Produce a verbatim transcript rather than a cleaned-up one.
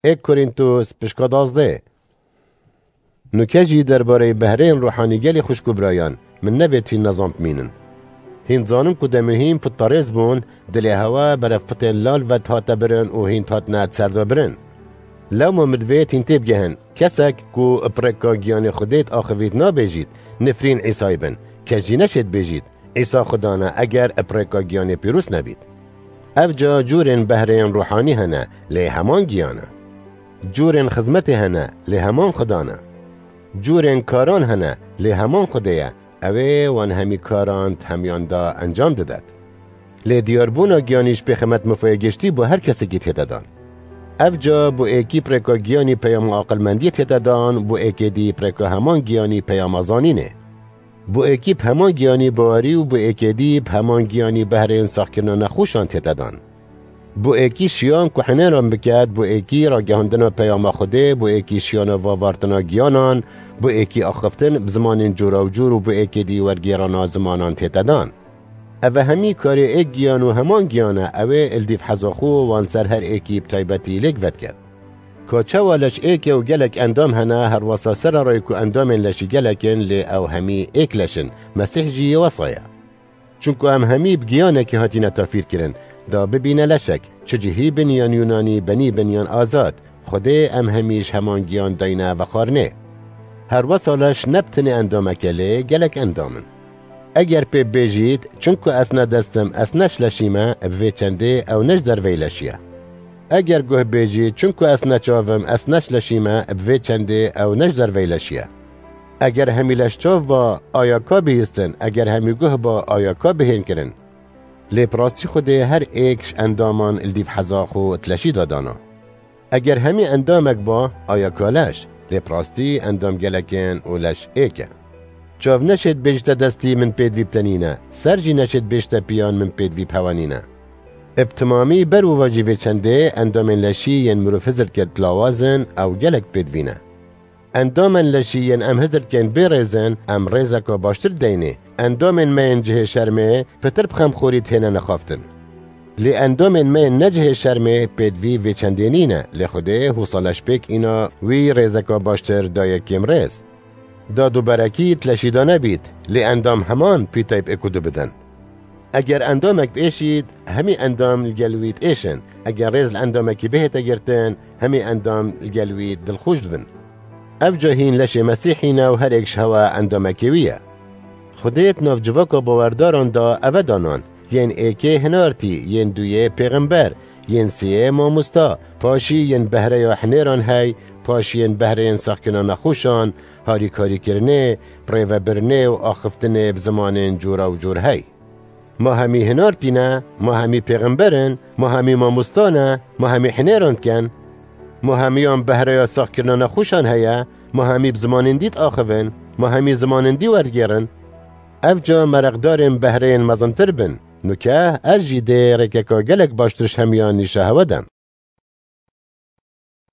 Êk Korîntos pişka dazdeh. Nuke jî derbareyê behreyên ruhanî gelê xwişk û birayan, min nevêt hîn nezan bimînin. Hîn zanin ku demê hîn putperêz bûn, dilê hewa berevpitên lal ve dihate birin û hîn dihatine di ser de birin. Lewma min divêt hîn têbigehin, kesek ku bi rêka giyanê Xwedê diaxivît nabêjît, nifrîn Îsayê bin, kes jî neşêt bêjît, Îsa Xudan e, eger bi rêka giyanê pîroz nebît. Evca curên behreyên ruhanî hene, lê heman giyan e. Curên xizmetê hene, lê heman Xudan e. Curên karan hene, lê heman Xwedê ye, ew ê wan hemî karan di hemiyan de encam didet. Lê diyarbûna giyanî ji pêxemet mifayê giştî bo her kesekî tête dan. Evca bo êkî bi rêka giyanî peyama aqilmendiyê tête dan, bo êkê dî bi rêka heman giyanî peyama zanînê. Bo êkî bi heman giyanî bawerî û bo êkê dî bi heman giyanî behrên saxkirina nexweşan tête dan. Bo êkî şiyan ku hinêran biket, bo êkî ragihandina peyama Xwedê, bo êkî şiyana vavartina giyanan, bo êkî axiftin bi zimanên cûra û cûr û bo êkê dî wergêrana zimanan tête dan. Ev hemî karê êk giyan û heman giyan e, ew ê li dîv heza xwe wan ser her êkî bi taybetî lêk vediket. Ka çawa leş êk e û gelek endam hene, herwesa sererayê ku endamên leşî gelek in, lê ew hemî êk leş in, Mesîh jî yê wesa ye. Çunku em hemî bi giyanekî hatine tafîr kirin, da bibîne leşek, çi cihî bin yan Yûnanî, benî bin yan azad, Xwedê em hemî ji heman giyan dayne vexwarinê. Herwesa leş ne bi tenê endamek e, lê gelek endam in. Eger pê bêjît, çunku ez ne dest im, ez ne ji leşî me, bi vê çendê ew ne ji derveyî leşî ye. Eger guh bêjît, çunku ez ne çav im, ez ne ji leşî me, bi vê çendê ew ne ji derveyî leşî ye. Eger hemî leş çav ba, aya ka bihîstin, eger hemî guh ba, aya ka bihên kirin. Lê bi rastî Xwedê her êk ji endaman li dîv heza xwe di leşî de dana. Eger hemî endamek ba, aya ka leş, lê bi rastî endam gelek in û leş êk e. Çav neşêt bêjite destî min pêdivî bi te nîne, ser jî neşêt bêjite piyan min pêdivî bi hewa nîne. Bi timamî ber û vajî vê çendê endamên leşî yên mirov hizir diket lawaz in, ew gelek pêdivî ne. Endamên leşî yên em hizir dikin bê rêz in, em rêzeka baştir deynê. Endamên me yên cihê şermê pitir bi xemxorî dihêne nexaftin. Lê endamên me yên ne cihê şermê pêdivî vê çendê nîne, lê Xwedê hûsa leş pêk îna wî rêzeka baştir daye kêmrêz. Dad û berekî di leşî de nebît, lê endam heman pîtayî bi êk û du bidin. Eger endamek biêşît, hemî endam li gel wî diêşin. Eger rêz li endamekî bihête girtin, hemî endam li gel wî dilxweş dibin. Evca hîn leşê Mesîhî ne û her êk ji hewa endamekê wî ye. Xwedê di nav civaka bawerdaran de eve danan, yên êkê hinartî, yên duyê pêxember, yên sêyê mamosta, paşî yên behreya hinêran hey, paşî yên behreyên saxkirina nexweşan, harîkarîkirinê, birêvebirinê û axiftinê bi zimanên cûra û cûr hey. Ma hemî hinartî ne, ma hemî pêxember in, ma hemî mamosta ne, ma hemî hinêran dikin, ma hemiyan behreya saxkirina nexweşan heye, ma hemî bi zimanên dî diaxivin, ma hemî zimanên dî werdigêrin. Evca mereqdarên behreyên mezintir bin, nuke ez jî dê rêkeka gelek baştir ji hemiyan nîşa hewe dem.